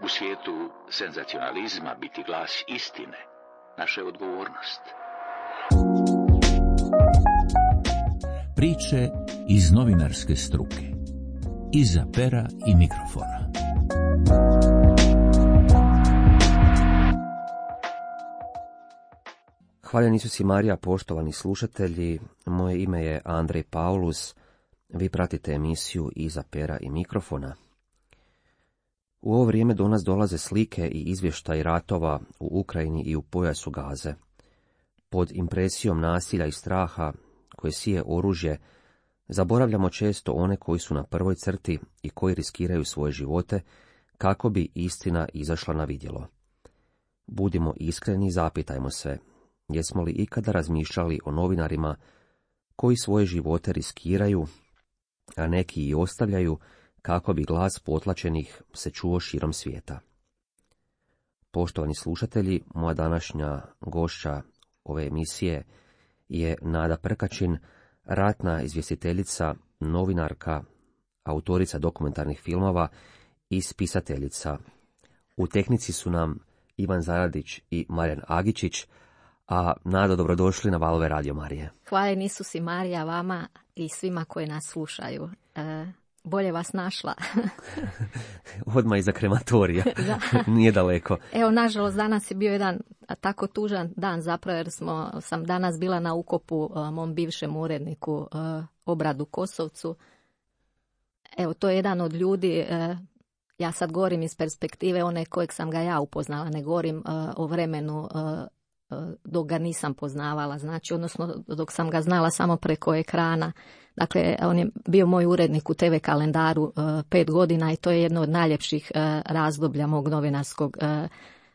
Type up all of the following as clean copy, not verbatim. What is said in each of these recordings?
U svijetu senzacionalizma biti glas istine naša je odgovornost. Priče iz novinarske struke. Iza pera i mikrofona. Hvaljen Isus i Marija, poštovani slušatelji, moje ime je Andrej Paulus, vi pratite emisiju Iza pera i mikrofona. U ovo vrijeme do nas dolaze slike i izvještaji ratova u Ukrajini i u pojasu Gaze. Pod impresijom nasilja i straha koje sije oružje, zaboravljamo često one koji su na prvoj crti i koji riskiraju svoje živote kako bi istina izašla na vidjelo. Budimo iskreni i zapitajmo se, jesmo li ikada razmišljali o novinarima koji svoje živote riskiraju, a neki i ostavljaju, kako bi glas potlačenih se čuo širom svijeta. Poštovani slušatelji, moja današnja gošća ove emisije je Nada Prkačin, ratna izvjestiteljica, novinarka, autorica dokumentarnih filmova i spisateljica. U tehnici su nam Ivan Zaradić i Marijan Agičić, a Nado, dobrodošli na Valove Radio Marije. Hvala Isus i Marija vama i svima koji nas slušaju. Bolje vas našla. Odmah iza krematorija. Nije daleko. Evo, nažalost, danas je bio jedan tako tužan dan zapravo, jer sam danas bila na ukopu mom bivšem uredniku Obradu Kosovcu. Evo, to je jedan od ljudi, ja sad govorim iz perspektive one kojeg sam ga ja upoznala, ne govorim o vremenu dok ga nisam poznavala, znači, odnosno dok sam ga znala samo preko ekrana. Dakle, on je bio moj urednik u TV kalendaru 5 godina i to je jedno od najljepših razdoblja mog novinarskog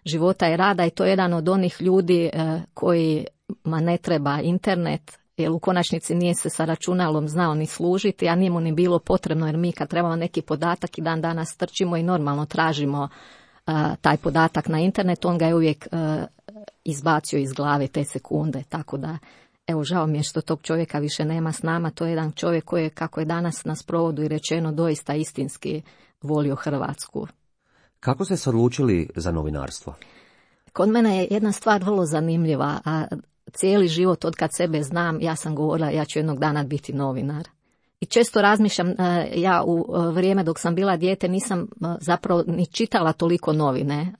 života i rada i to je jedan od onih ljudi kojima ne treba internet, jer u konačnici nije se sa računalom znao ni služiti, a nije mu ni bilo potrebno, jer mi kad trebamo neki podatak i dan danas trčimo i normalno tražimo taj podatak na internetu, on ga je uvijek izbacio iz glave te sekunde, tako da evo, žao mi je što tog čovjeka više nema s nama. To je jedan čovjek koji je, kako je danas na sprovodu i rečeno, doista istinski volio Hrvatsku. Kako ste se odlučili za novinarstvo? Kod mene je jedna stvar vrlo zanimljiva, a cijeli život od kad sebe znam, ja sam govorila ja ću jednog dana biti novinar. I često razmišljam, ja u vrijeme dok sam bila dijete nisam zapravo ni čitala toliko novine.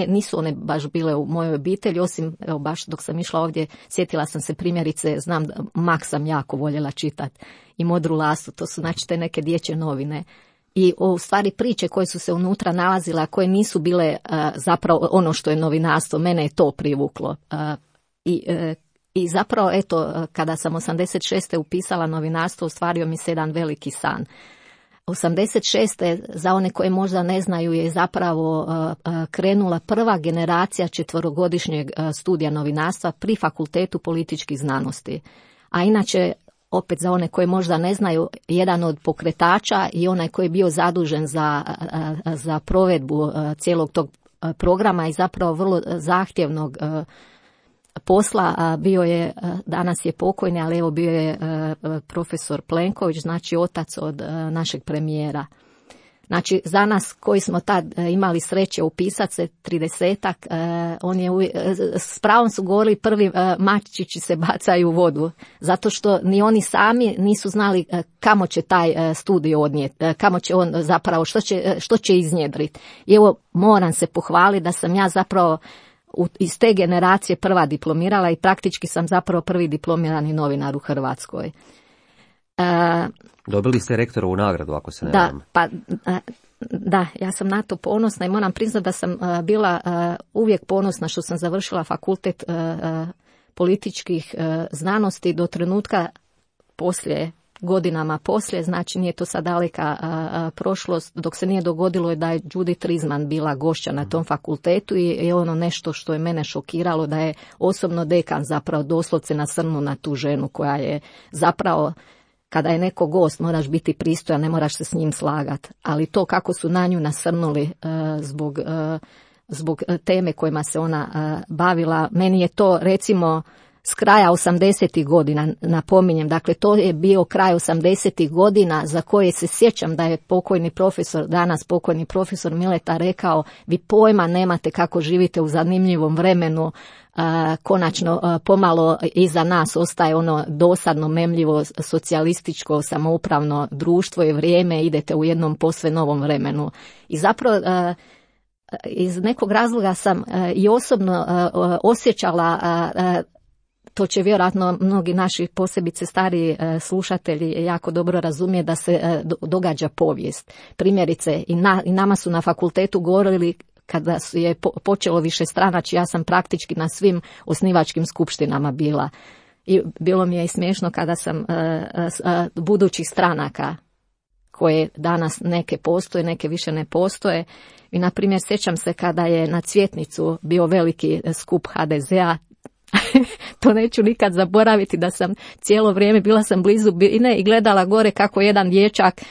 Nisu one baš bile u mojoj obitelji, osim evo, baš dok sam išla ovdje, sjetila sam se primjerice, znam da Mak sam jako voljela čitati i Modru lastu, to su znači te neke dječje novine. I u stvari priče koje su se unutra nalazile, a koje nisu bile zapravo ono što je novinarstvo, mene je to privuklo. I zapravo, eto, kada sam 86. upisala novinarstvo, ostvario mi se jedan veliki san. 86. za one koje možda ne znaju je zapravo krenula prva generacija 4-godišnjeg studija novinarstva pri Fakultetu političkih znanosti. A inače, opet za one koje možda ne znaju, jedan od pokretača i onaj koji je bio zadužen za provedbu cijelog tog programa i zapravo vrlo zahtjevnog posla, bio je, danas je pokojni, ali evo bio je profesor Plenković, znači otac od našeg premijera. Znači, za nas koji smo tad imali sreće upisati se 30-ak, on je s pravom su govorili prvi mačići se bacaju u vodu, zato što ni oni sami nisu znali kamo će taj studij odnijeti, kamo će on zapravo, što će iznjedriti. I evo, moram se pohvaliti da sam ja zapravo iz te generacije prva diplomirala i praktički sam zapravo prvi diplomirani novinar u Hrvatskoj. Dobili ste rektorovu nagradu, ako se ne varam. Da, ja sam na to ponosna i moram priznati da sam bila uvijek ponosna što sam završila fakultet političkih znanosti do trenutka godinama poslije, znači nije to sad daleka prošlost, dok se nije dogodilo da je Judith Rizman bila gošća na tom fakultetu i ono nešto što je mene šokiralo, da je osobno dekan zapravo doslovce nasrnuo na tu ženu koja je zapravo, kada je neko gost moraš biti pristojan, ne moraš se s njim slagati, ali to kako su na nju nasrnuli zbog teme kojima se ona bavila, meni je to recimo s kraja 80. godina, napominjem, dakle to je bio kraj 80. godina za koje se sjećam da je danas pokojni profesor Mileta rekao, vi pojma nemate kako živite u zanimljivom vremenu, konačno pomalo iza nas ostaje ono dosadno, memljivo, socijalističko, samoupravno društvo i vrijeme, idete u jednom posve novom vremenu. I zapravo iz nekog razloga sam i osobno osjećala, to će vjerojatno mnogi naši posebice stariji slušatelji jako dobro razumije, da se događa povijest. Primjerice, i nama su na fakultetu govorili, kada je počelo višestranačje, ja sam praktički na svim osnivačkim skupštinama bila. I bilo mi je i smiješno kada sam budućih stranaka, koje danas neke postoje, neke više ne postoje. I na primjer sjećam se kada je na Cvjetnicu bio veliki skup HDZ-a, to neću nikad zaboraviti, da sam cijelo vrijeme, bila sam blizu bine i gledala gore kako jedan dječak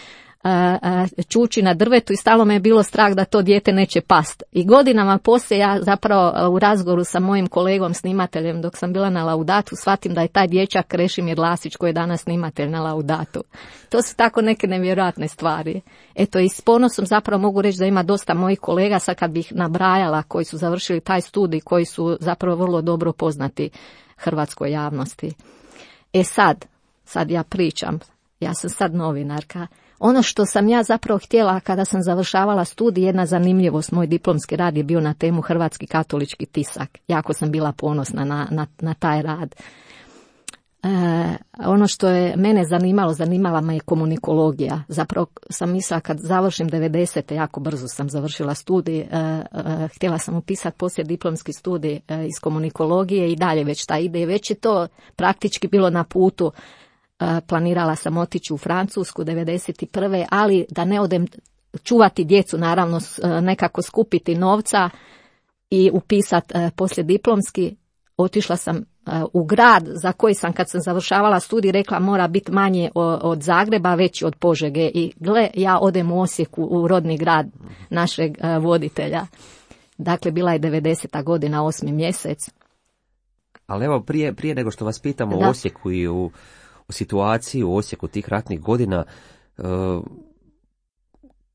čuči na drvetu i stalo me je bilo strah da to dijete neće past. I godinama poslije ja zapravo u razgovoru sa mojim kolegom snimateljem dok sam bila na Laudatu shvatim da je taj dječak Krešimir Lasić koji je danas snimatelj na Laudatu. To su tako neke nevjerojatne stvari. Eto, i s ponosom zapravo mogu reći da ima dosta mojih kolega, sad kad bih nabrajala, koji su završili taj studij, koji su zapravo vrlo dobro poznati hrvatskoj javnosti. Sad ja pričam, ja sam sad novinarka. Ono što sam ja zapravo htjela kada sam završavala studij, jedna zanimljivost, moj diplomski rad je bio na temu Hrvatski katolički tisak. Jako sam bila ponosna na taj rad. Ono što je mene zanimala me je komunikologija. Zapravo sam mislila kad završim 90. jako brzo sam završila studij, htjela sam upisati poslije diplomski studij iz komunikologije i dalje već ta ide. Već je to praktički bilo na putu. Planirala sam otići u Francusku 91. ali da ne odem čuvati djecu, naravno nekako skupiti novca i upisati poslijediplomski. Otišla sam u grad za koji sam kad sam završavala studij rekla mora biti manje od Zagreba, veći od Požege. I gle, ja odem u Osijeku, u rodni grad našeg voditelja. Dakle, bila je 90. godina, 8. mjesec. Ali evo, prije nego što vas pitamo o Osijeku i u situaciji u Osijeku tih ratnih godina,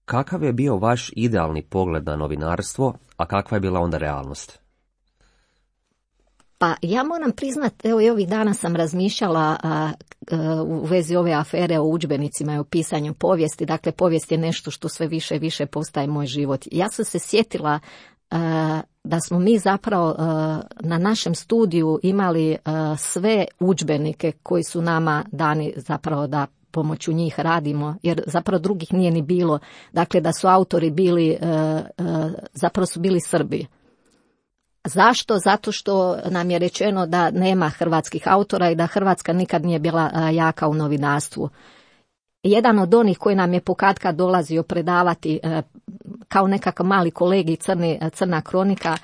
kakav je bio vaš idealni pogled na novinarstvo, a kakva je bila onda realnost? Pa ja moram priznati, evo i ovih dana sam razmišljala u vezi ove afere o udžbenicima i o pisanju povijesti. Dakle, povijest je nešto što sve više i više postaje moj život. Ja sam se sjetila da smo mi zapravo na našem studiju imali sve udžbenike koji su nama dani zapravo da pomoću njih radimo, jer zapravo drugih nije ni bilo. Dakle, da su autori bili, zapravo su bili Srbi. Zašto? Zato što nam je rečeno da nema hrvatskih autora i da Hrvatska nikad nije bila jaka u novinarstvu. Jedan od onih koji nam je pokatkad dolazio predavati kao nekakav mali kolegi Crna kronika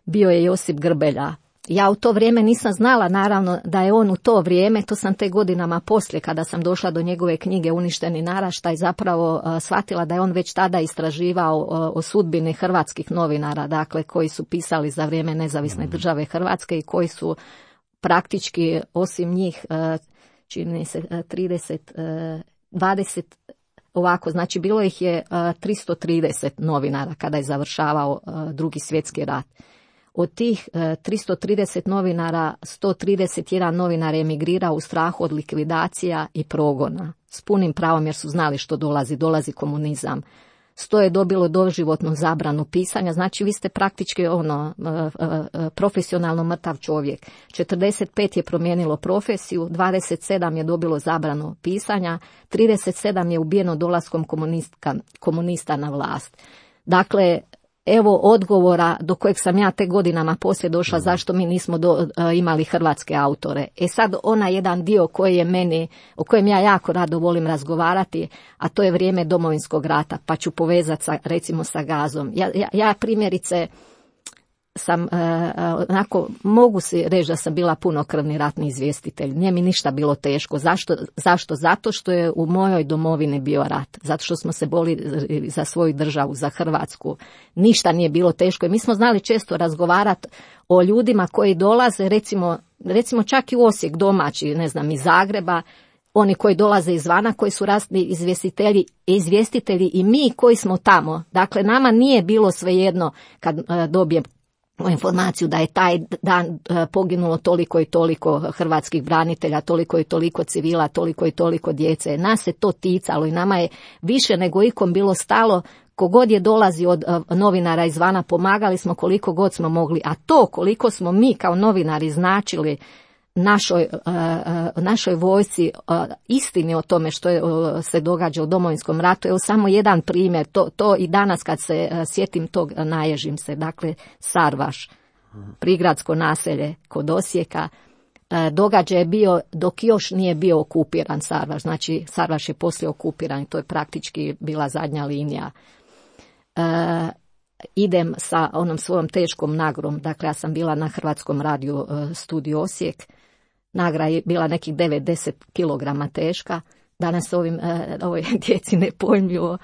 bio je Josip Grbelja. Ja u to vrijeme nisam znala naravno da je on u to vrijeme, to sam te godinama poslije kada sam došla do njegove knjige Uništeni naraštaj zapravo shvatila da je on već tada istraživao o sudbini hrvatskih novinara, dakle koji su pisali za vrijeme nezavisne države Hrvatske i koji su praktički osim njih čini se 20 ovako, znači bilo ih je 330 novinara kada je završavao Drugi svjetski rat. Od tih 330 novinara, 131 novinar je emigrirao u strahu od likvidacija i progona. S punim pravom jer su znali što dolazi komunizam. 100 je dobilo doživotnu zabranu pisanja, znači vi ste praktički profesionalno mrtav čovjek. 45 je promijenilo profesiju, 27 je dobilo zabranu pisanja, 37 je ubijeno dolaskom komunista na vlast. Dakle, evo odgovora do kojeg sam ja te godinama poslije došla zašto mi nismo imali hrvatske autore. Sad ona jedan dio koji je meni, o kojem ja jako rado volim razgovarati, a to je vrijeme Domovinskog rata, pa ću povezati recimo sa Gazom. Ja primjerice sam, onako, mogu si reći da sam bila punokrvni ratni izvjestitelj. Nije mi ništa bilo teško. Zašto? Zato što je u mojoj domovini bio rat. Zato što smo se borili za svoju državu, za Hrvatsku. Ništa nije bilo teško. I mi smo znali često razgovarati o ljudima koji dolaze, recimo čak i u Osijek domaći, ne znam, iz Zagreba, oni koji dolaze izvana, koji su ratni izvjestitelji i mi koji smo tamo. Dakle, nama nije bilo svejedno kad dobijem informaciju da je taj dan poginulo toliko i toliko hrvatskih branitelja, toliko i toliko civila, toliko i toliko djece. Nas se to ticalo i nama je više nego ikom bilo stalo. Kogod je dolazi od novinara izvana, pomagali smo koliko god smo mogli, a to koliko smo mi kao novinari značili našoj vojsci, istini o tome što se događa u Domovinskom ratu. Evo samo jedan primjer, to i danas kad se sjetim tog naježim se. Dakle, Sarvaš, prigradsko naselje kod Osijeka, događaj je bio dok još nije bio okupiran Sarvaš. Znači, Sarvaš je poslije okupiran i to je praktički bila zadnja linija. Idem sa onom svojom teškom nagrom, dakle ja sam bila na Hrvatskom radiju studiju Osijek, nagra je bila nekih 9-10 kilograma teška, danas ovoj djeci nepojmljivo.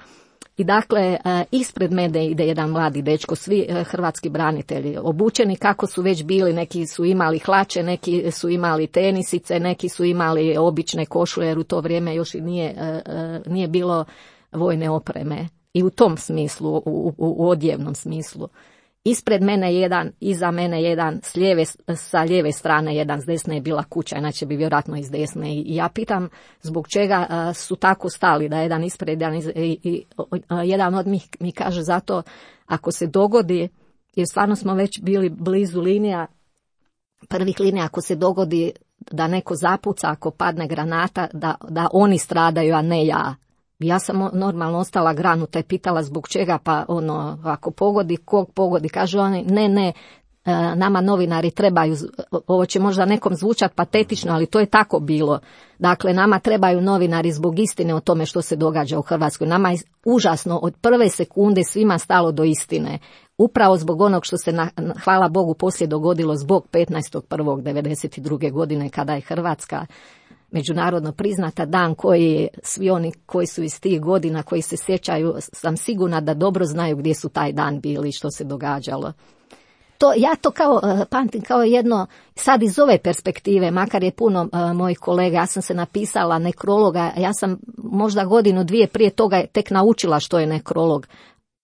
I dakle, ispred mene ide jedan mladi dečko, svi hrvatski branitelji, obučeni kako su već bili, neki su imali hlače, neki su imali tenisice, neki su imali obične košulje, jer u to vrijeme još i nije bilo vojne opreme. I u tom smislu, u odjevnom smislu. Ispred mene jedan, iza mene jedan, sa lijeve strane jedan, s desne je bila kuća, inače bi vjerojatno iz desne. I ja pitam zbog čega su tako stali, da jedan ispred, jedan od njih mi kaže zato ako se dogodi, jer stvarno smo već bili blizu linija, prvih linija, ako se dogodi da neko zapuca, ako padne granata, da oni stradaju, a ne ja. Ja sam normalno ostala granuta i pitala zbog čega, pa ako pogodi, kog pogodi, kaže oni, ne, nama novinari trebaju, ovo će možda nekom zvučati patetično, ali to je tako bilo. Dakle, nama trebaju novinari zbog istine o tome što se događa u Hrvatskoj. Nama je užasno od prve sekunde svima stalo do istine. Upravo zbog onog što se, hvala Bogu, poslije dogodilo zbog 15.1.1992. godine kada je Hrvatska međunarodno priznata, dan koji svi oni koji su iz tih godina, koji se sjećaju, sam sigurna da dobro znaju gdje su taj dan bili i što se događalo. Ja to pamtim kao jedno, sad iz ove perspektive, makar je puno mojih kolega, ja sam se napisala nekrologa, ja sam možda godinu, dvije prije toga tek naučila što je nekrolog.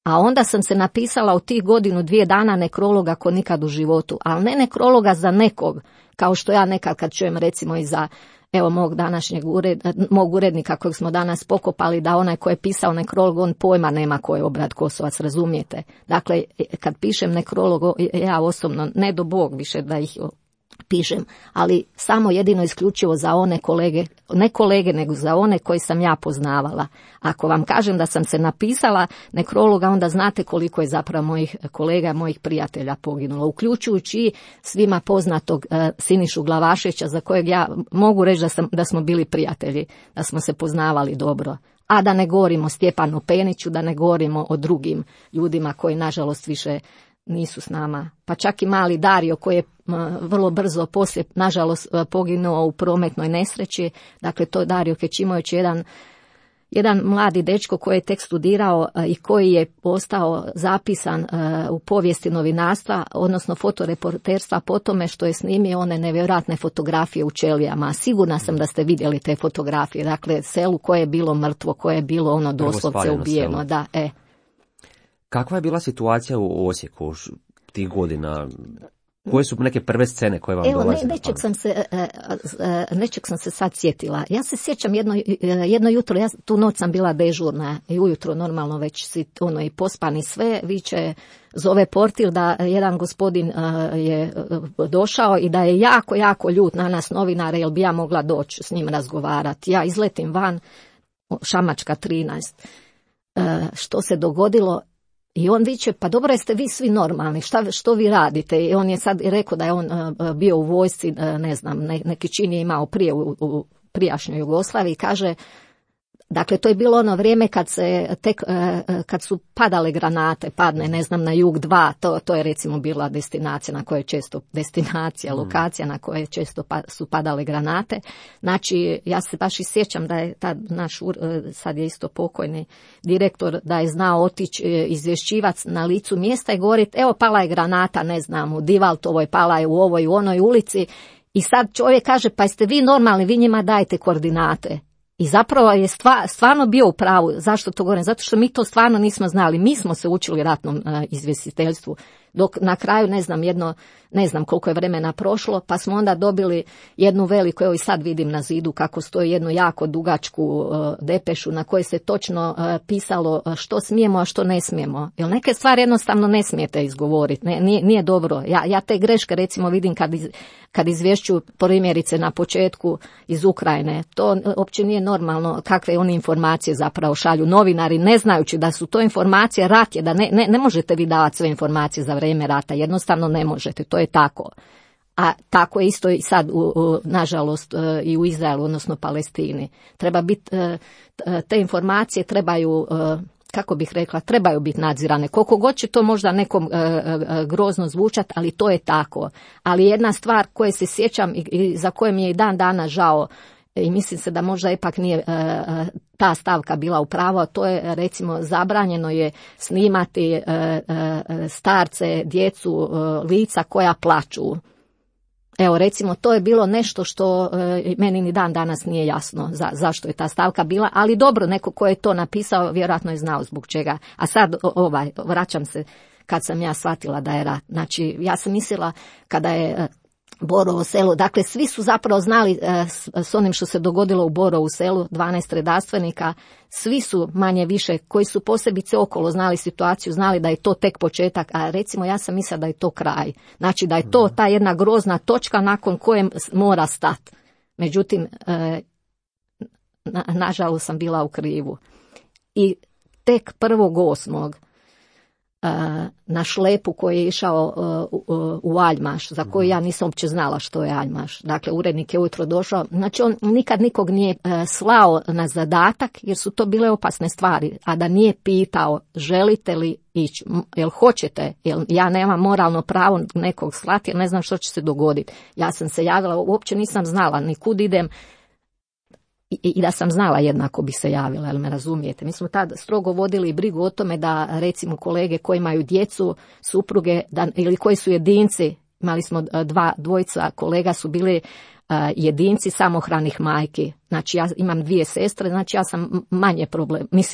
A onda sam se napisala u tih godinu, dvije dana nekrologa ko nikad u životu, ali ne nekrologa za nekog, kao što ja nekad kad čujem recimo i za mog urednika kojeg smo danas pokopali, da onaj ko je pisao nekrolog, on pojma nema ko je Obrad Kosovac, razumijete? Dakle, kad pišem nekrolog, ja osobno, ne do Bog više da ih pišem, ali samo jedino isključivo za one kolege, ne kolege, nego za one koji sam ja poznavala. Ako vam kažem da sam se napisala nekrologa, onda znate koliko je zapravo mojih kolega, mojih prijatelja poginulo, uključujući svima poznatog Sinišu Glavaševića, za kojeg ja mogu reći da smo bili prijatelji, da smo se poznavali dobro. A da ne govorimo o Stjepanu Peniću, da ne govorimo o drugim ljudima koji nažalost više nisu s nama. Pa čak i mali Dario koji je vrlo brzo poslije nažalost poginuo u prometnoj nesreći. Dakle, to je Dario Kećimović, jedan mladi dečko koji je tek studirao i koji je postao zapisan u povijesti novinarstva, odnosno fotoreporterstva po tome što je snimio one nevjerojatne fotografije u Čelijama. Sigurna sam da ste vidjeli te fotografije. Dakle, selu koje je bilo mrtvo, koje je bilo doslovce ubijeno. Da, Kakva je bila situacija u Osijeku tih godina? Koje su neke prve scene koje vam dolaze? Nečeg sam se sad sjetila. Ja se sjećam jedno jutro, tu noć sam bila dežurna i ujutro normalno već si i pospani sve, viče, zove portir da jedan gospodin je došao i da je jako, jako ljut na nas novinare, jel bi ja mogla doći s njim razgovarati. Ja izletim van, Šamačka 13. Što se dogodilo? I on viče, pa dobro, jeste vi svi normalni, što vi radite? I on je sad rekao da je on bio u vojsci, ne znam, neki čin je imao prije u prijašnjoj Jugoslaviji, kaže, Dakle, to je bilo ono vrijeme kad su padale granate, padne, ne znam, na Jug 2, to je recimo bila destinacija na kojoj često, lokacija na kojoj često su padale granate. Znači, ja se baš i sjećam da je tad naš, sad je isto pokojni direktor, da je znao otići izvješćivac na licu mjesta i govoriti, evo pala je granata, ne znam, u Divaltovoj, pala je u ovoj, u onoj ulici. I sad čovjek kaže, pa jeste vi normalni, vi njima dajete koordinate. I zapravo je stvarno bio u pravu. Zašto to govorim? Zato što mi to stvarno nismo znali. Mi smo se učili ratnom izvjestiteljstvu. Dok na kraju, ne znam koliko je vremena prošlo, pa smo onda dobili jednu veliku, evo i sad vidim na zidu kako stoji, jednu jako dugačku depešu na kojoj se točno pisalo što smijemo, a što ne smijemo. Jer neke stvari jednostavno ne smijete izgovoriti. Nije dobro. Ja te greške recimo vidim kad izvješću primjerice na početku iz Ukrajine. To uopće nije normalno kakve oni informacije zapravo šalju novinari, ne znajući da su to informacije, rat je, da ne možete vi davati sve informacije za vrijeme rata, jednostavno ne možete, to je tako. A tako je isto i sad, nažalost, i u Izraelu, odnosno Palestini. Treba biti, te informacije trebaju, kako bih rekla, trebaju biti nadzirane. Koliko god će to možda nekom grozno zvučati, ali to je tako. Ali jedna stvar koje se sjećam i za koje mi je i dan dana žao, i mislim se da možda ipak nije ta stavka bila u pravu, a to je recimo zabranjeno je snimati starce, djecu, lica koja plaču. Evo recimo to je bilo nešto što meni ni dan danas nije jasno zašto je ta stavka bila, ali dobro, neko ko je to napisao vjerojatno je znao zbog čega. A sad vraćam se kad sam ja shvatila da je rat. Znači ja sam mislila kada je Borovo selo, dakle svi su zapravo znali s onim što se dogodilo u Borovu selu, 12 redarstvenika, svi su manje više koji su posebice okolo znali situaciju, znali da je to tek početak, a recimo ja sam mislila da je to kraj. Znači da je to ta jedna grozna točka nakon koje mora stati. Međutim, nažalost sam bila u krivu. I tek 1.8. na šlepu koji je išao u Aljmaš, za koji ja nisam uopće znala što je Aljmaš. Dakle, urednik je ujutro došao. Znači, on nikad nikog nije slao na zadatak, jer su to bile opasne stvari, a da nije pitao želite li ići, jel hoćete, jel ja nemam moralno pravo nekog slati, jer ne znam što će se dogoditi. Ja sam se javila, uopće nisam znala ni kud idem, i da sam znala jednako bi se javila, jel me razumijete. Mi smo tad strogo vodili brigu o tome da recimo kolege koji imaju djecu, supruge ili koji su jedinci, imali smo dvojica kolega su bili jedinci samohranih majki. Znači ja imam 2 sestre, znači ja sam manje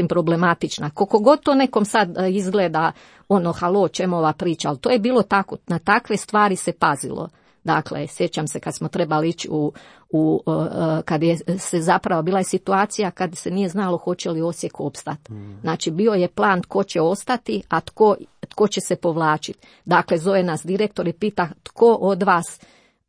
problematična. Koliko god to nekom sad izgleda halo, čemu ova priča, ali to je bilo tako, na takve stvari se pazilo. Dakle, sjećam se kad smo trebali ići kad je se zapravo bila je situacija kad se nije znalo hoće li Osijek opstati. Znači, bio je plan tko će ostati, a tko će se povlačiti. Dakle, zove nas direktor i pita tko od vas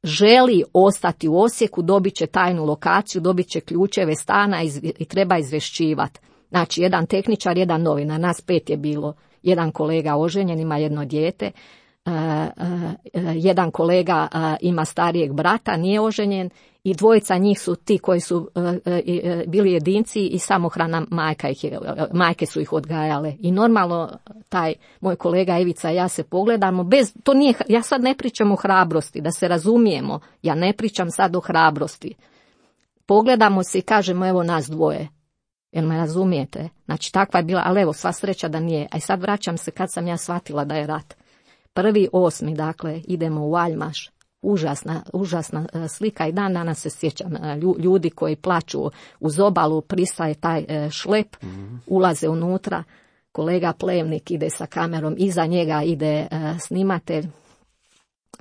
želi ostati u Osijeku, dobit će tajnu lokaciju, dobit će ključeve stana i treba izvješćivati. Znači, jedan tehničar, jedan novinar, nas 5 je bilo. Jedan kolega oženjen, ima jedno dijete. Jedan kolega ima starijeg brata, nije oženjen, i 2 njih su ti koji su bili jedinci i samohrana majke su ih odgajale. I normalno taj moj kolega Ivica i ja se pogledamo, ja sad ne pričam o hrabrosti, da se razumijemo, ja ne pričam sad o hrabrosti. Pogledamo se i kažemo evo nas 2. Jel me razumijete? Znači takva je bila, ali evo sva sreća da nije. A sad vraćam se kad sam ja shvatila da je rat. 1.8. dakle idemo u Aljmaš, užasna slika i dan danas se sjećam ljudi koji plaču uz obalu, pristaje taj šlep, ulaze unutra, kolega Plevnik ide sa kamerom, iza njega ide snimatelj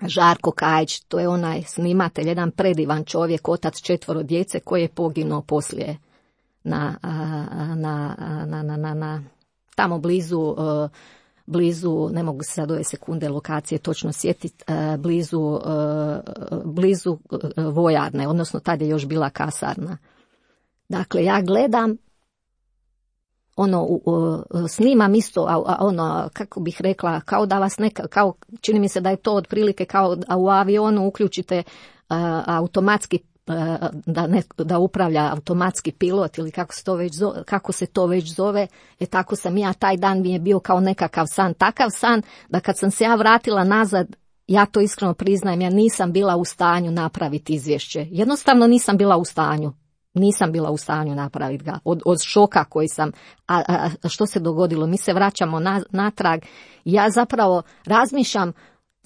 Žarko Kajić, to je onaj snimatelj, jedan predivan čovjek, otac 4 djece koji je poginuo poslije tamo blizu, ne mogu se sad ove sekunde lokacije točno sjetiti, blizu vojarne, odnosno tad je još bila kasarna. Dakle, ja gledam, snimam isto, kako bih rekla, kao da vas čini mi se da je to otprilike kao da u avionu uključite automatski da upravlja automatski pilot ili kako se to već zove, tako sam ja, taj dan mi je bio kao nekakav san, takav san da kad sam se ja vratila nazad, ja to iskreno priznajem, ja nisam bila u stanju napraviti izvješće, jednostavno nisam bila u stanju napraviti ga, od šoka koji sam, a što se dogodilo, mi se vraćamo natrag, ja zapravo razmišljam,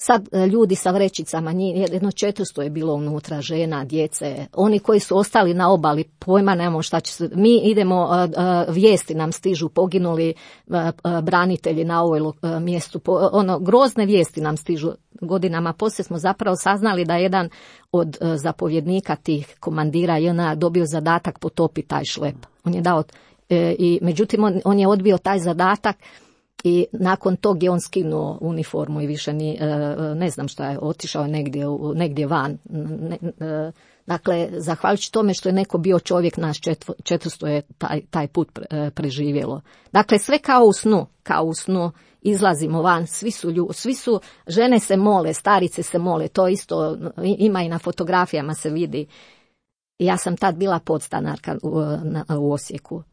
sad ljudi sa vrećicama, jedno 400 je bilo unutra, žena, djece, oni koji su ostali na obali, pojma nemamo šta će se, mi idemo, vijesti nam stižu, poginuli branitelji na ovoj mjestu, grozne vijesti nam stižu godinama, poslije smo zapravo saznali da jedan od zapovjednika tih komandira JNA dobio zadatak potopiti taj šlep. On je dao, i međutim on je odbio taj zadatak. I nakon tog je on skinuo uniformu i više ne znam šta je, otišao je negdje van. Dakle, zahvaljujući tome što je neko bio čovjek, nas 400 je taj put preživjelo. Dakle, sve kao u snu, izlazimo van, svi su, žene se mole, starice se mole, to isto ima i na fotografijama se vidi. Ja sam tad bila podstanarka u Osijeku.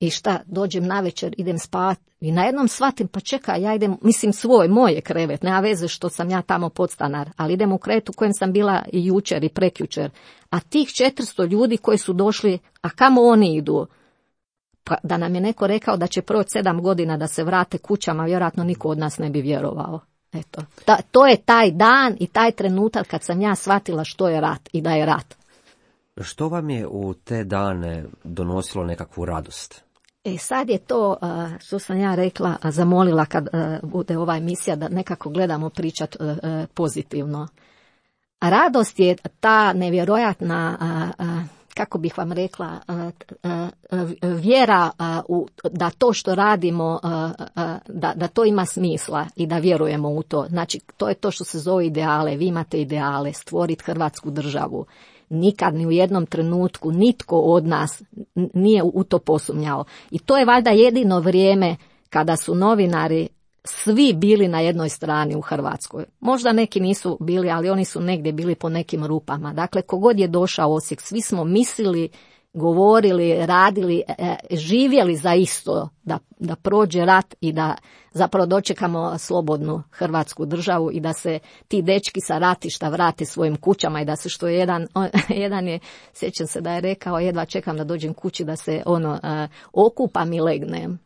I šta, dođem navečer, idem spavati i najednom shvatim, pa čekaj, ja idem, mislim moj je krevet, nema veze što sam ja tamo podstanar, ali idem u krevet u kojem sam bila i jučer i prekjučer. A tih 400 ljudi koji su došli, a kamo oni idu? Pa da nam je neko rekao da će proći 7 godina da se vrate kućama, vjerojatno niko od nas ne bi vjerovao. Eto, to je taj dan i taj trenutak kad sam ja shvatila što je rat i da je rat. Što vam je u te dane donosilo nekakvu radost? Sad je to, što sam ja rekla, zamolila kad bude ova emisija da nekako gledamo pričat pozitivno. Radost je ta nevjerojatna, kako bih vam rekla, vjera da to što radimo, da to ima smisla i da vjerujemo u to. Znači, to je to što se zove ideale. Vi imate ideale, stvoriti Hrvatsku državu. Nikad ni u jednom trenutku nitko od nas nije u to posumnjao. I to je valjda jedino vrijeme kada su novinari svi bili na jednoj strani u Hrvatskoj. Možda neki nisu bili, ali oni su negdje bili po nekim rupama. Dakle, kogod je došao u Osijek, svi smo mislili, govorili, radili, živjeli za isto, da prođe rat i da zapravo dočekamo slobodnu Hrvatsku državu i da se ti dečki sa ratišta vrate svojim kućama i da se što jedan je, sjećam se da je rekao, jedva čekam da dođem kući da se okupam i legnem.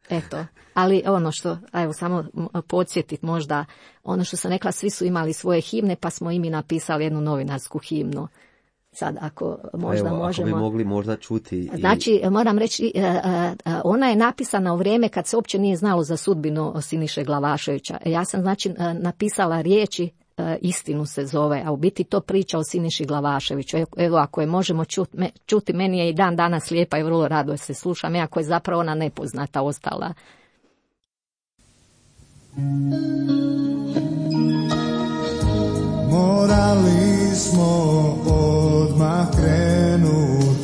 Eto, ali ono što, evo samo podsjetiti možda, ono što sam rekla, svi su imali svoje himne pa smo i mi napisali jednu novinarsku himnu. Sad, ako možda možemo... Ako bi mogli možda čuti... Znači, moram reći, ona je napisana u vrijeme kad se uopće nije znalo za sudbinu Siniše Glavaševića. Ja sam, znači, napisala riječi, Istinu se zove, a u biti to priča o Siniši Glavaševiću. Evo, ako je možemo čuti, meni je i dan danas lijepa i vrlo rado se slušam, iako je zapravo ona nepoznata ostala. Morali smo odmah krenut,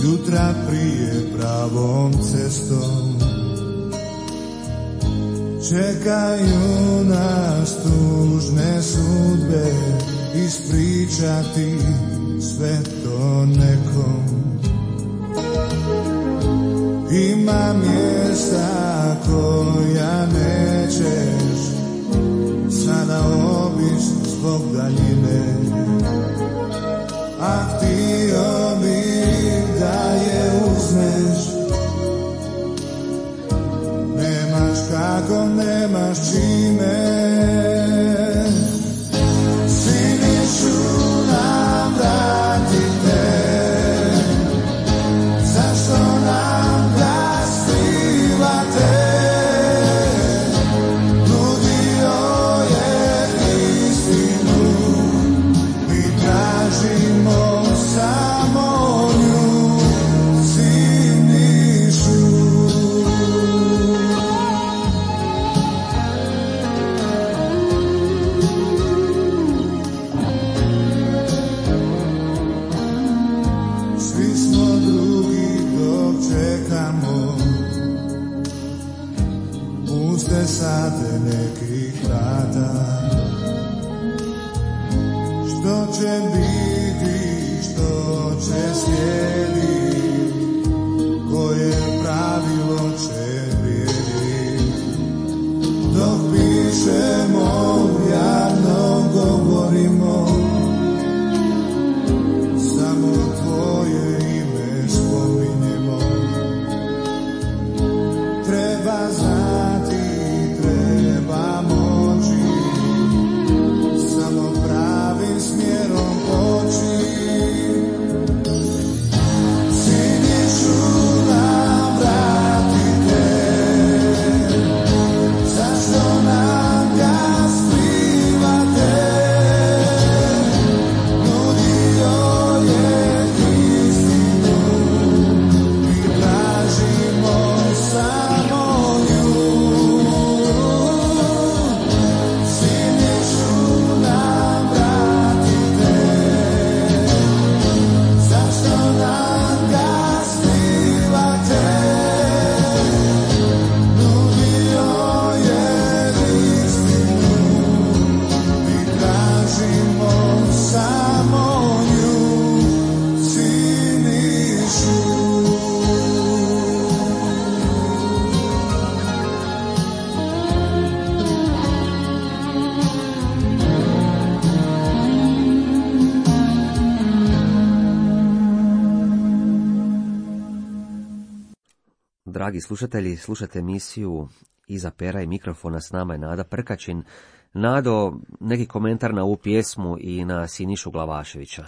jutra prije pravom cestom. Čekaju nas tužne sudbe, ispričati sve to nekom. Ima mjesta koja nećeš sada obići zbog daljine, a htio bih da je uzmeš. Nemaš kako, nemaš čime. Sinišu nam vratite, zašto nam ga skrivate? Sade nekih vrata, što će biti dragi slušatelji, slušate emisiju Iza pera i mikrofona, s nama je Nada Prkačin. Nado, neki komentar na ovu pjesmu i na Sinišu Glavaševića?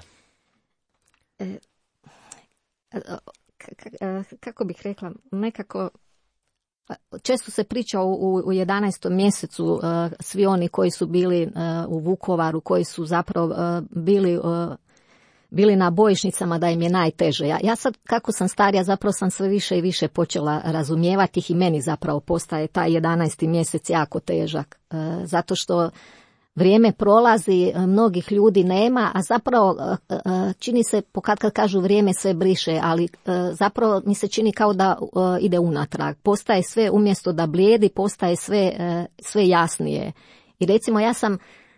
Kako bih rekla, nekako često se priča u 11. mjesecu, svi oni koji su bili u Vukovaru, koji su zapravo bili na bojišnicama, da im je najteže. Ja sad, kako sam starija, zapravo sam sve više i više počela razumijevati ih i meni zapravo postaje taj 11. mjesec jako težak. Zato što vrijeme prolazi, mnogih ljudi nema, a zapravo čini se, kad kažu vrijeme sve briše, ali zapravo mi se čini kao da ide unatrag. Postaje sve, umjesto da blijedi, postaje sve jasnije. I recimo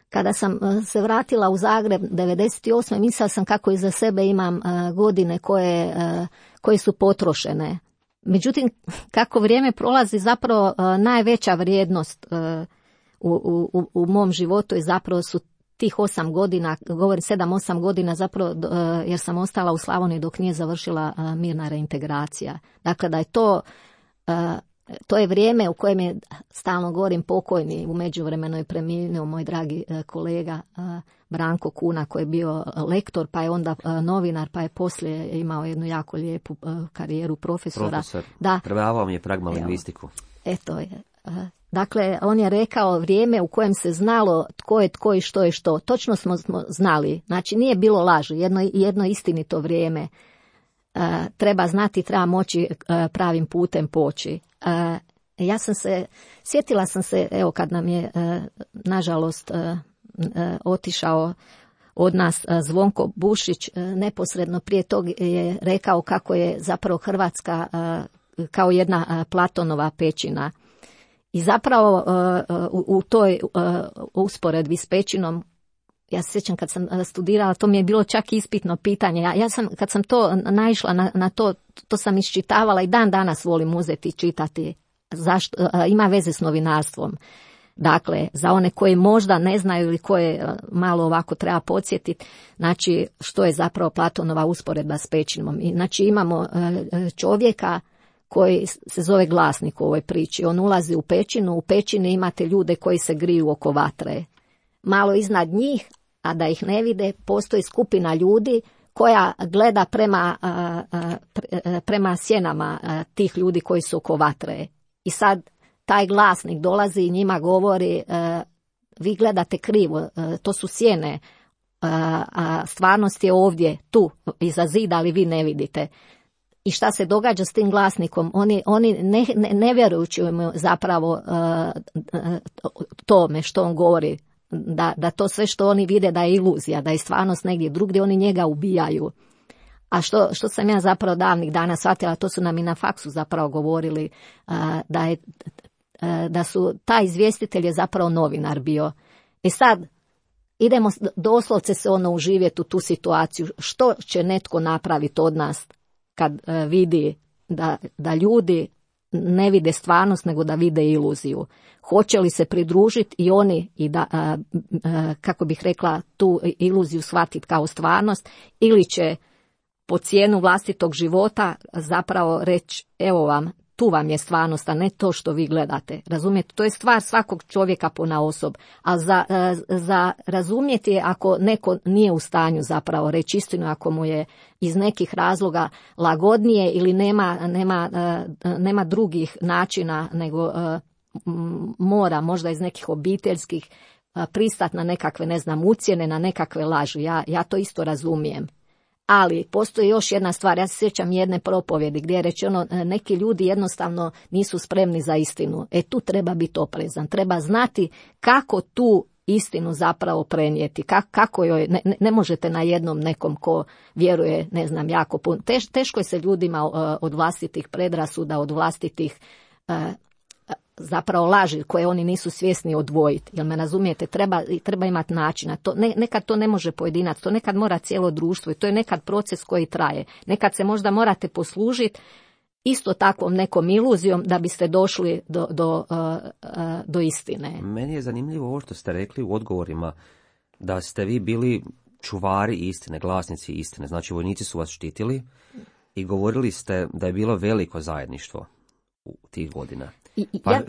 kada sam se vratila u Zagreb 98. mislila sam kako iza sebe imam godine koje su potrošene. Međutim, kako vrijeme prolazi, zapravo najveća vrijednost u mom životu je zapravo su tih 8 godina, govorim 7-8 godina zapravo, jer sam ostala u Slavoniji dok nije završila mirna reintegracija. Dakle, da je to je vrijeme u kojem je, stalno govorim, pokojni, u međuvremenu je preminuo moj dragi kolega Branko Kuna, koji je bio lektor, pa je onda novinar, pa je poslije imao jednu jako lijepu karijeru profesora. Profesor, da, predavao mi je pragmalingvistiku. Eto je. Dakle, on je rekao vrijeme u kojem se znalo tko je tko i što je što. Točno smo znali. Znači, nije bilo laži. Jedno istinito vrijeme. Treba znati, treba moći pravim putem poći. Sjetila sam se, evo kad nam je nažalost otišao od nas Zvonko Bušić, neposredno prije tog je rekao kako je zapravo Hrvatska kao jedna Platonova pećina. I zapravo u toj usporedbi s pećinom, ja se sjećam kad sam studirala, to mi je bilo čak ispitno pitanje. Kad sam to naišla na to sam iščitavala i dan danas volim uzeti i čitati. Zašto? Ima veze s novinarstvom. Dakle, za one koji možda ne znaju ili koje malo ovako treba podsjetiti, znači što je zapravo Platonova usporedba s pećinom. Znači imamo čovjeka koji se zove glasnik u ovoj priči. On ulazi u pećinu, u pećini imate ljude koji se griju oko vatre. Malo iznad njih, a da ih ne vide, postoji skupina ljudi koja gleda prema sjenama tih ljudi koji su oko vatre. I sad taj glasnik dolazi i njima govori, vi gledate krivo, to su sjene, a stvarnost je ovdje, tu, iza zida, ali vi ne vidite. I šta se događa s tim glasnikom? Oni ne vjerujući mu zapravo tome što on govori, da to sve što oni vide da je iluzija, da je stvarnost negdje drugdje, oni njega ubijaju. A što sam ja zapravo davnih dana shvatila, to su nam i na faksu zapravo govorili, da su taj izvjestitelj je zapravo novinar bio. Sad idemo doslovce se uživjeti u tu situaciju. Što će netko napraviti od nas kad vidi da ljudi ne vide stvarnost, nego da vide iluziju? Hoće li se pridružiti i oni i da, kako bih rekla, tu iluziju shvatiti kao stvarnost, ili će po cijenu vlastitog života zapravo reći, evo vam, tu vam je stvarnost, a ne to što vi gledate. Razumijete? To je stvar svakog čovjeka ponaosob. A za razumjeti je ako neko nije u stanju zapravo reći istinu, ako mu je iz nekih razloga lagodnije ili nema drugih načina, nego mora možda iz nekih obiteljskih pristati na nekakve, ucjene, na nekakve laži. Ja to isto razumijem. Ali postoji još jedna stvar, ja se sjećam jedne propovjedi gdje je rečeno neki ljudi jednostavno nisu spremni za istinu. Tu treba biti oprezan, treba znati kako tu istinu zapravo prenijeti, kako joj, ne možete na jednom nekom ko vjeruje, jako puno. Teško je se ljudima od vlastitih predrasuda, od vlastitih zapravo laži koje oni nisu svjesni odvojiti. Jel me razumijete? Treba imati načina. Nekad to ne može pojedinac, to nekad mora cijelo društvo i to je nekad proces koji traje. Nekad se možda morate poslužiti isto takvom nekom iluzijom da biste došli do istine. Meni je zanimljivo ovo što ste rekli u odgovorima, da ste vi bili čuvari istine, glasnici istine. Znači vojnici su vas štitili i govorili ste da je bilo veliko zajedništvo. tih godina. Ja...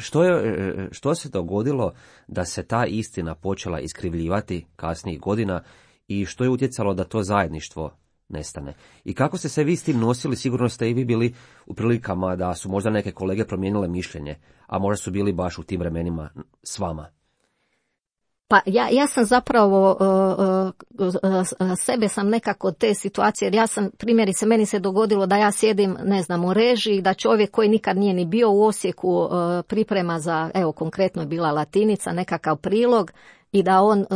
Što se dogodilo da se ta istina počela iskrivljivati kasnijih godina i što je utjecalo da to zajedništvo nestane? I kako ste se vi s tim nosili? Sigurno ste i vi bili u prilikama da su možda neke kolege promijenile mišljenje, a možda su bili baš u tim vremenima s vama. Pa ja sam zapravo sebe sam nekako te situacije, jer ja sam, primjerice, meni se dogodilo da ja sjedim, ne znam, u režiji, da čovjek koji nikad nije ni bio u Osijeku priprema za, evo konkretno je bila Latinica, nekakav prilog i da on,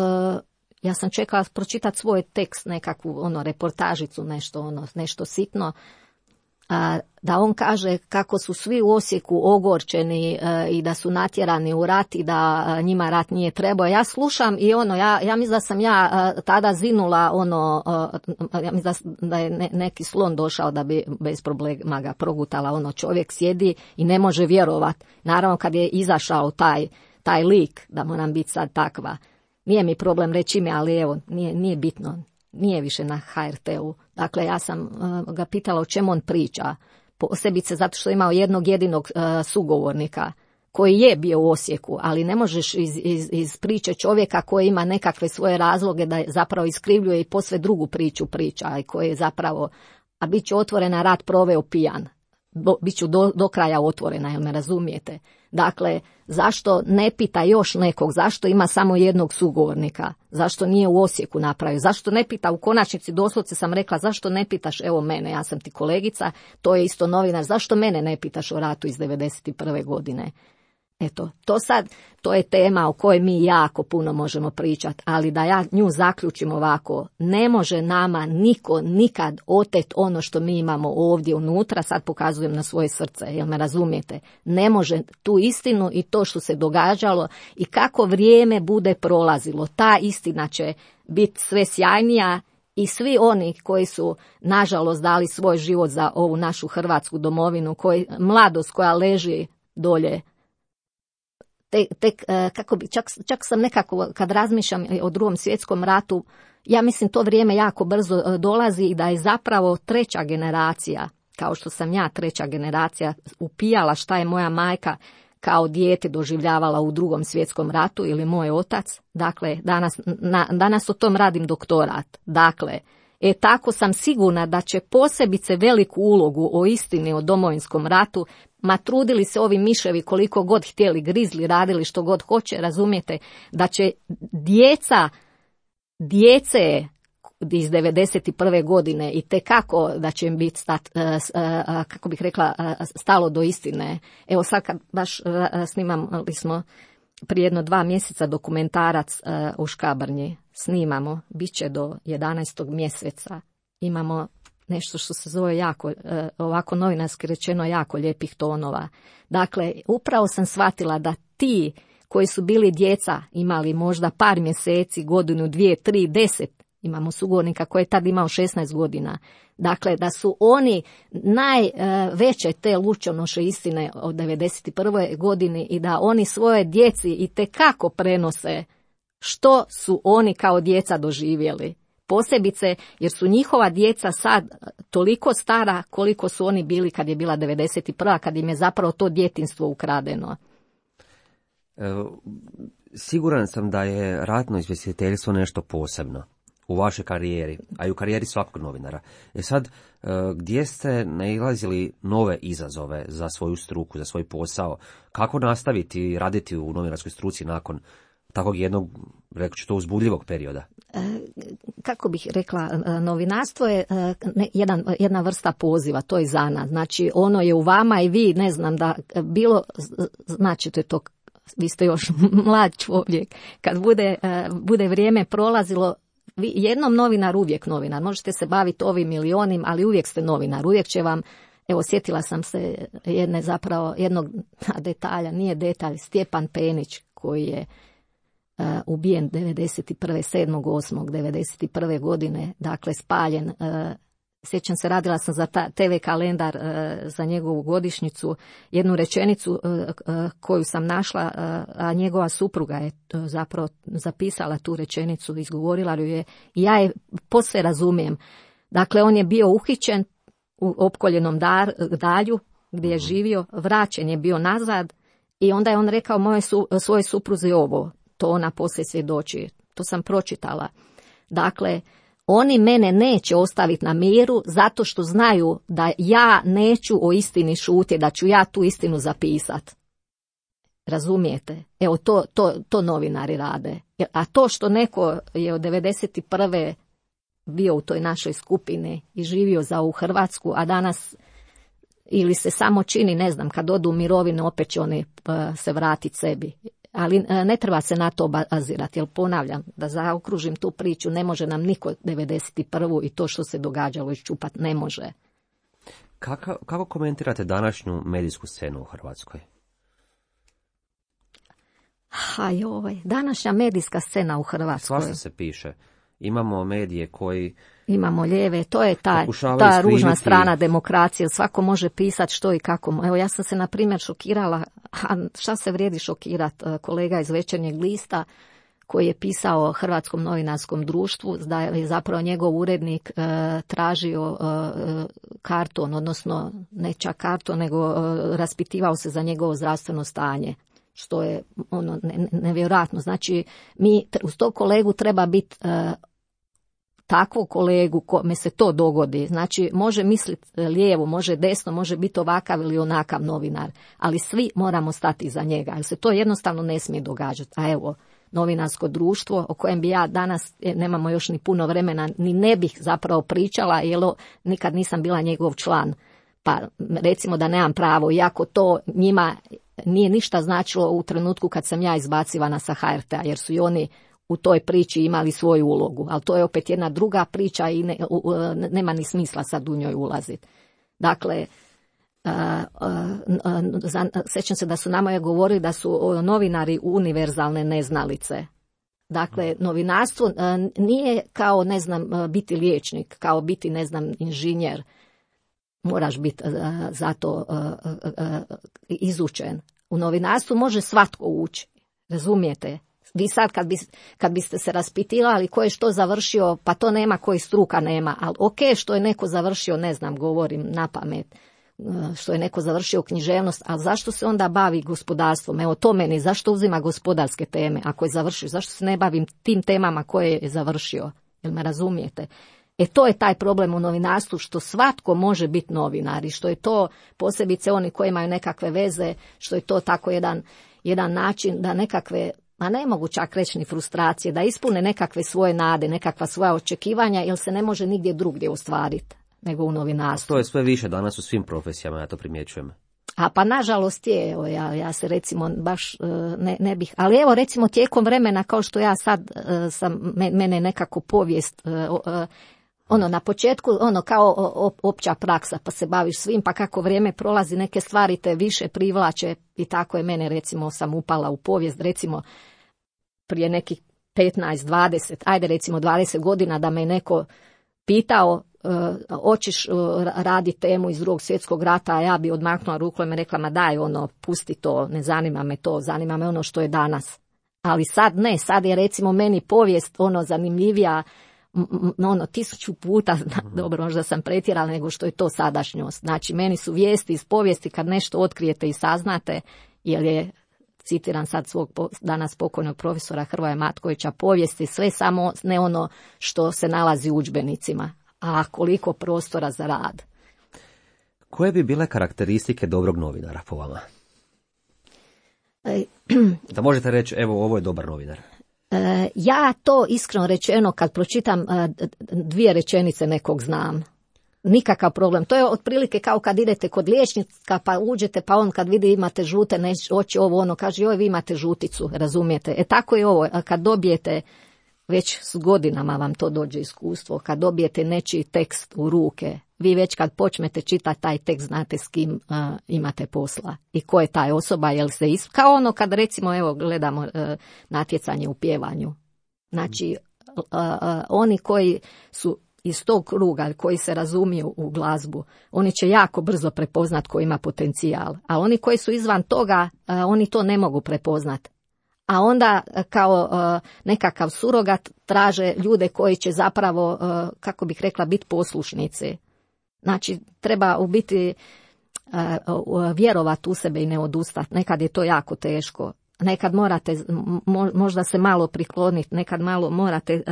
ja sam čekala pročitati svoj tekst, nekakvu reportažicu, nešto sitno, da on kaže kako su svi u Osijeku ogorčeni i da su natjerani u rat i da njima rat nije trebao. Ja slušam i ja mislim da sam tada zinula ja mislim da je neki slon došao da bi bez problema ga progutala, čovjek sjedi i ne može vjerovat. Naravno kad je izašao taj lik, da moram biti sad takva. Nije mi problem reći ime, ali evo, nije bitno. Nije više na HRT-u. Dakle, ja sam ga pitala o čemu on priča. Posebice zato što je imao jednog jedinog sugovornika koji je bio u Osijeku, ali ne možeš iz priče čovjeka koji ima nekakve svoje razloge da zapravo iskrivljuje i posve drugu priču priča i koji je zapravo, a bit će otvorena, rat proveo pijan. Bit ću do kraja otvorena, jel me razumijete? Dakle, zašto ne pita još nekog, zašto ima samo jednog sugovornika, zašto nije u Osijeku napravio, zašto ne pita, u konačnici doslovce sam rekla, zašto ne pitaš, evo mene, ja sam ti kolegica, to je isto novinar, zašto mene ne pitaš o ratu iz 91. godine? Eto, to je tema o kojoj mi jako puno možemo pričati, ali da ja nju zaključim ovako, ne može nama niko nikad otet ono što mi imamo ovdje unutra, sad pokazujem na svoje srce, jel me razumijete? Ne može tu istinu i to što se događalo i kako vrijeme bude prolazilo, ta istina će biti sve sjajnija i svi oni koji su nažalost dali svoj život za ovu našu hrvatsku domovinu, mladost koja leži dolje, kako bi, čak sam nekako, kad razmišljam o Drugom svjetskom ratu, ja mislim to vrijeme jako brzo dolazi i da je zapravo treća generacija, kao što sam ja treća generacija, upijala šta je moja majka kao dijete doživljavala u Drugom svjetskom ratu ili moj otac. Dakle, danas o tom radim doktorat. Dakle, tako sam sigurna da će posebice veliku ulogu o istini o Domovinskom ratu, ma trudili se ovi miševi koliko god htjeli, grizli, radili što god hoće, razumijete, da će djece iz 91. godine i tekako da će im biti kako bih rekla, stalo do istine. Evo sad kad baš snimali smo prije 2 mjeseca dokumentarac u Škabrnji, snimamo, bit će do 11. mjeseca, imamo nešto što se zove jako, ovako novinarski rečeno, jako lijepih tonova. Dakle, upravo sam shvatila da ti koji su bili djeca, imali možda par mjeseci, godinu, 2, 3, 10, imamo sugovornika koji je tad imao 16 godina. Dakle, da su oni najveće te lučonoše istine od 91. godini i da oni svoje djeci itekako prenose što su oni kao djeca doživjeli. Posebice jer su njihova djeca sad toliko stara koliko su oni bili kad je bila 91. kad im je zapravo to djetinjstvo ukradeno. Siguran sam da je ratno izvjestiteljstvo nešto posebno u vašoj karijeri, a i u karijeri svakog novinara. Sad, gdje ste nailazili nove izazove za svoju struku, za svoj posao? Kako nastaviti raditi u novinarskoj struci nakon takvog jednog, rekao ću to, uzbudljivog perioda? Kako bih rekla, novinarstvo je jedna vrsta poziva, to je zanat. Znači, ono je u vama i vi, ne znam, da bilo, značite to, vi ste još mlad čovjek, kad bude vrijeme prolazilo, jednom novinar, uvijek novinar. Možete se baviti ovim ili onim, ali uvijek ste novinar. Uvijek će vam, evo sjetila sam se jednog detalja, nije detalj, Stjepan Penić koji je ubijen 7.8.91. godine, dakle spaljen. Sjećam se, radila sam za TV kalendar za njegovu godišnjicu, jednu rečenicu koju sam našla, a njegova supruga je zapravo zapisala tu rečenicu, izgovorila ju je i ja je posve razumijem. Dakle, on je bio uhićen u opkoljenom dalju, gdje je živio, vraćen je bio nazad i onda je on rekao svojoj supruzi ovo, to ona poslije svjedoči, to sam pročitala. Dakle, oni mene neće ostaviti na miru zato što znaju da ja neću o istini šutiti, da ću ja tu istinu zapisati. Razumijete? Evo to novinari rade. A to što neko je od 91. bio u toj našoj skupini i živio za ovu Hrvatsku, a danas ili se samo čini, ne znam, kad odu u mirovinu opet će oni se vratiti sebi. Ali ne treba se na to bazirati, jer ponavljam, da zaokružim tu priču, ne može nam niko 91. i to što se događalo iščupat, ne može. Kako komentirate današnju medijsku scenu u Hrvatskoj? Današnja medijska scena u Hrvatskoj. Svašta se piše. Imamo medije koji... Imamo lijeve, to je ta ružna strana demokracije. Svako može pisati što i kako. Evo, ja sam se, na primjer, šokirala, a šta se vrijedi šokirati, kolega iz Večernjeg lista, koji je pisao Hrvatskom novinarskom društvu, da je zapravo njegov urednik tražio karton, odnosno ne čak karton, nego raspitivao se za njegovo zdravstveno stanje. Što je nevjerojatno. Znači, uz tog kolegu treba biti takvog kolegu kome se to dogodi. Znači, može misliti lijevo, može desno, može biti ovakav ili onakav novinar, ali svi moramo stati za njega, jer se to jednostavno ne smije događati. A evo, novinarsko društvo o kojem bi ja danas, nemamo još ni puno vremena, ni ne bih zapravo pričala, jer nikad nisam bila njegov član. Pa recimo da nemam pravo, iako to njima nije ništa značilo u trenutku kad sam ja izbacivana sa HRT-a, jer su i oni u toj priči imali svoju ulogu. Ali to je opet jedna druga priča i nema ni smisla sad u njoj ulaziti. Dakle, sjećam se da su nama govorili da su novinari univerzalne neznalice. Dakle, novinarstvo nije kao, ne znam, biti liječnik, kao biti, ne znam, inženjer. Moraš biti za to izučen. U novinarstvu može svatko ući, razumijete? Vi sad kad biste se raspitivali ko je što završio, pa to nema koji struka nema, ali ok, što je neko završio, ne znam, govorim na pamet, što je neko završio književnost, ali zašto se onda bavi gospodarstvom? Evo to meni, zašto uzima gospodarske teme ako je završio? Zašto se ne bavim tim temama koje je završio? Jel me razumijete? To je taj problem u novinarstvu, što svatko može biti novinar i što je to, posebice oni koji imaju nekakve veze, što je to tako jedan način da nekakve, a ne mogu čak reći ni frustracije, da ispune nekakve svoje nade, nekakva svoja očekivanja, jer se ne može nigdje drugdje ostvariti nego u novinarstvu. To je sve više danas u svim profesijama, ja to primjećujem. A pa nažalost je, evo, ja se recimo baš ne bih, ali evo recimo tijekom vremena kao što ja sad mene nekako povijest, na početku kao opća praksa, pa se baviš svim, pa kako vrijeme prolazi neke stvari te više privlače i tako je mene, recimo sam upala u povijest, recimo prije nekih 15, 20, ajde recimo 20 godina da me neko pitao hoćeš raditi temu iz Drugog svjetskog rata, a ja bi odmaknula ruku i me rekla, ma daj pusti to, ne zanima me to, zanima me ono što je danas. Ali sad ne, sad je recimo meni povijest zanimljivija 1000 puta, dobro možda sam pretjerala, nego što je to sadašnjost. Znači meni su vijesti iz povijesti kad nešto otkrijete i saznate, jer je, citiram sad svog danas pokojnog profesora Hrvoja Matkovića, povijesti sve samo ne ono što se nalazi u udžbenicima, a koliko prostora za rad. Koje bi bile karakteristike dobrog novinara po vama? Da možete reći, evo, ovo je dobar novinar. Ja to iskreno rečeno kad pročitam 2 rečenice nekog znam. Nikakav problem. To je otprilike kao kad idete kod liječnika pa uđete pa on kad vidi imate žute oči kaže joj vi imate žuticu, razumijete? Tako je ovo, kad dobijete, već s godinama vam to dođe iskustvo, kad dobijete nečiji tekst u ruke, vi već kad počnete čitati taj tekst znate s kim imate posla i ko je taj osoba, jel se kao kad recimo evo gledamo natjecanje u pjevanju. Znači oni koji su iz tog kruga, koji se razumiju u glazbu, oni će jako brzo prepoznat ko ima potencijal, a oni koji su izvan toga, oni to ne mogu prepoznat. A onda kao nekakav surogat traže ljude koji će zapravo, kako bih rekla, biti poslušnici. Znači, treba u biti vjerovati u sebe i ne odustati. Nekad je to jako teško. Nekad morate možda se malo prikloniti, nekad malo morate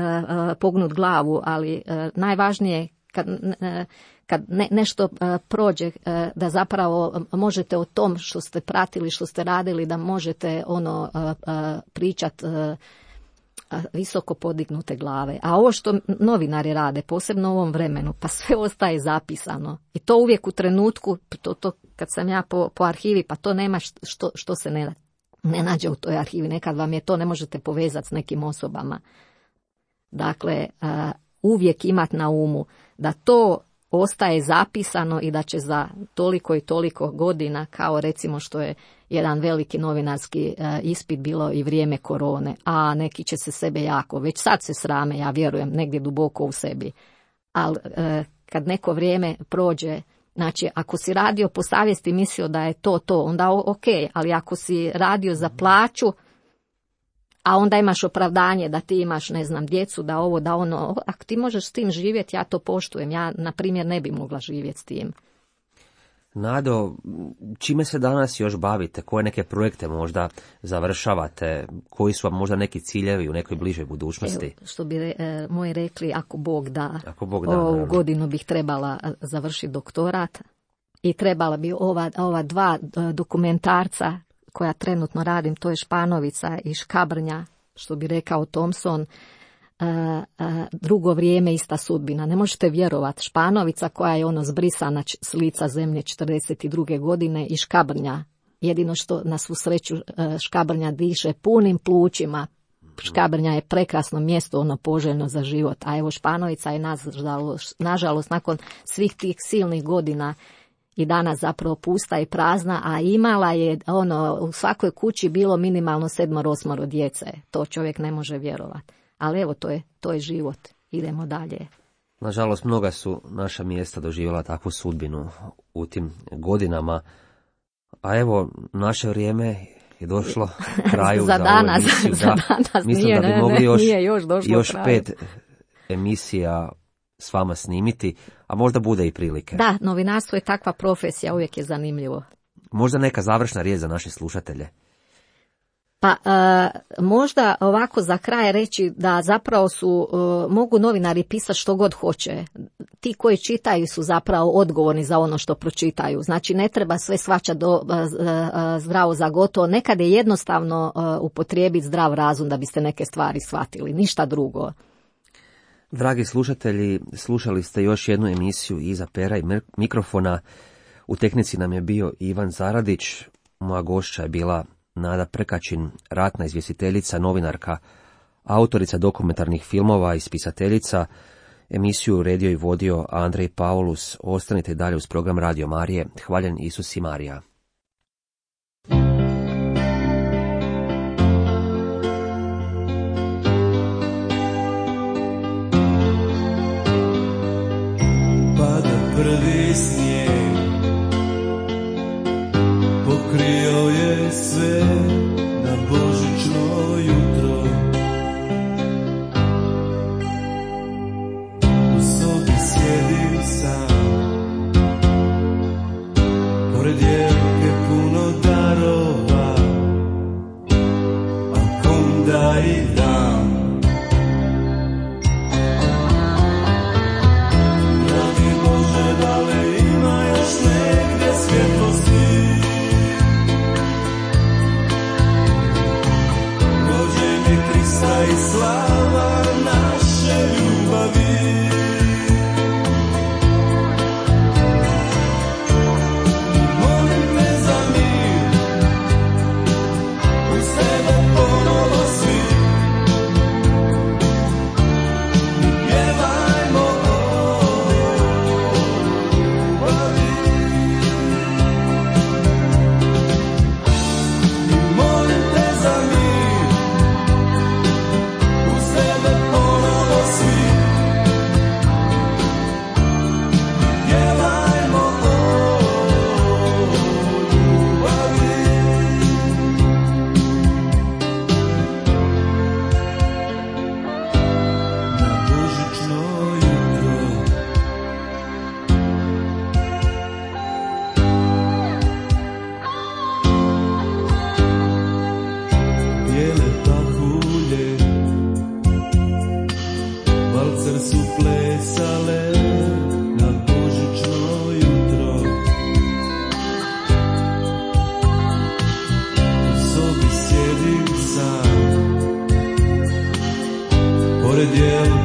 pognuti glavu, ali najvažnije kad nešto prođe, da zapravo možete o tom što ste pratili, što ste radili, da možete pričati visoko podignute glave. A ovo što novinari rade, posebno u ovom vremenu, pa sve ostaje zapisano. I to uvijek u trenutku, to kad sam ja po arhivi, pa to nema što se ne nađe u toj arhivi. Nekad vam je to, ne možete povezati s nekim osobama. Dakle, uvijek imati na umu da to ostaje zapisano i da će za toliko i toliko godina, kao recimo što je jedan veliki novinarski ispit bilo i vrijeme korone, a neki će se sebe jako, već sad se srame, ja vjerujem, negdje duboko u sebi. Ali kad neko vrijeme prođe, znači ako si radio po savjesti i mislio da je to, onda ok, ali ako si radio za plaću, a onda imaš opravdanje da ti imaš, ne znam, djecu, da ovo, da ono, ako ti možeš s tim živjeti, ja to poštujem. Ja, na primjer, ne bi mogla živjeti s tim. Nado, čime se danas još bavite? Koje neke projekte možda završavate? Koji su vam možda neki ciljevi u nekoj bližoj budućnosti? Evo, što bi moji rekli, ako Bog da, ovu godinu bih trebala završiti doktorat i trebala bi ova dva dokumentarca koja trenutno radim, to je Španovica i Škabrnja, što bi rekao Thompson, drugo vrijeme, ista sudbina. Ne možete vjerovati, Španovica koja je zbrisana s lica zemlje 42. godine i Škabrnja, jedino što na svu sreću Škabrnja diše punim plućima. Škabrnja je prekrasno mjesto, poželjno za život, a evo Španovica je nažalost nakon svih tih silnih godina i danas zapravo pusta i prazna, a imala je u svakoj kući bilo minimalno 7-8 djece. To čovjek ne može vjerovati. Ali evo, to je život. Idemo dalje. Nažalost, mnoga su naša mjesta doživjela takvu sudbinu u tim godinama. A evo, naše vrijeme je došlo kraju za danas. Za danas mislim nije, da bi mogli još 5 emisija s vama snimiti, a možda bude i prilike. Da, novinarstvo je takva profesija, uvijek je zanimljivo. Možda neka završna riječ za naše slušatelje. Pa možda ovako za kraj reći da zapravo mogu novinari pisati što god hoće. Ti koji čitaju su zapravo odgovorni za ono što pročitaju. Znači ne treba sve shvaćati zdravo za gotovo. Nekad je jednostavno upotrijebiti zdrav razum da biste neke stvari shvatili, ništa drugo. Dragi slušatelji, slušali ste još jednu emisiju Iza pera i mikrofona. U tehnici nam je bio Ivan Zaradić, moja gošća je bila Nada Prkačin, ratna izvjestiteljica, novinarka, autorica dokumentarnih filmova i spisateljica. Emisiju uredio i vodio Andrej Paulus. Ostanite dalje uz program Radio Marije. Hvaljen Isus i Marija. Pada prvi snijeg, pokrio je sve na božićno jutro. U sobi sjedim sam, pored jelke puno darova, a kom da ih dam. Dragi Bože, da li ima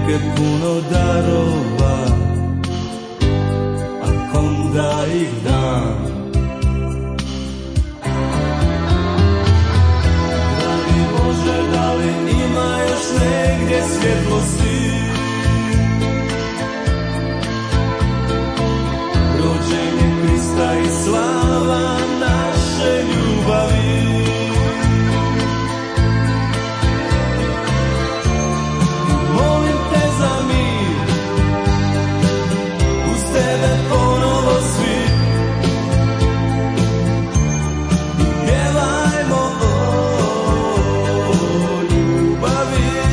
dijelke puno darova, a kom da ih dam? Dragi Bože, da li ima još negdje svjetlosti? Rođenje Krista i slava naše ljubavi. Molim te za mir, uz tebe ponovo svi. Pjevajmo o ljubavi.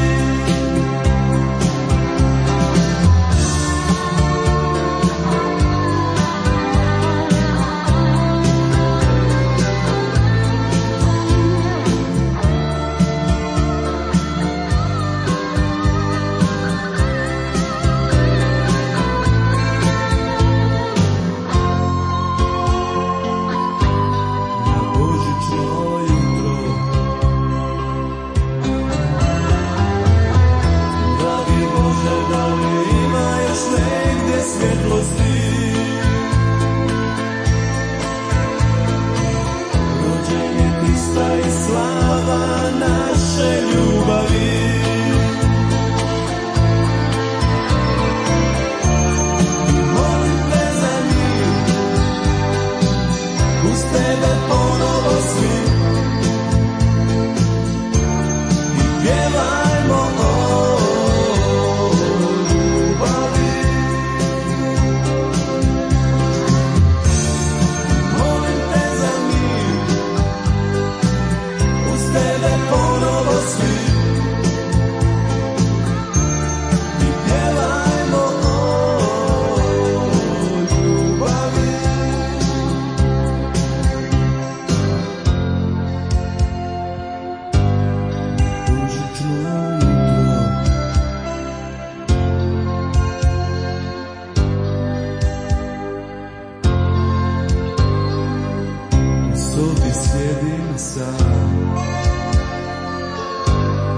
Sjedim sam,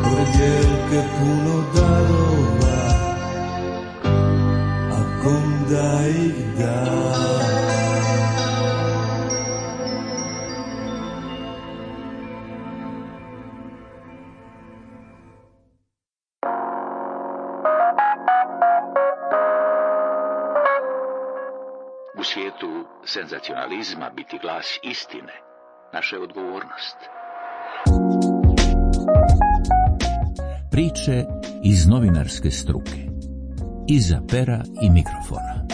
pored dijelke puno darova, a kom da ih dam? U svijetu senzacionalizma biti glas istine naša je odgovornost. Priče iz novinarske struke. Iza pera i mikrofona.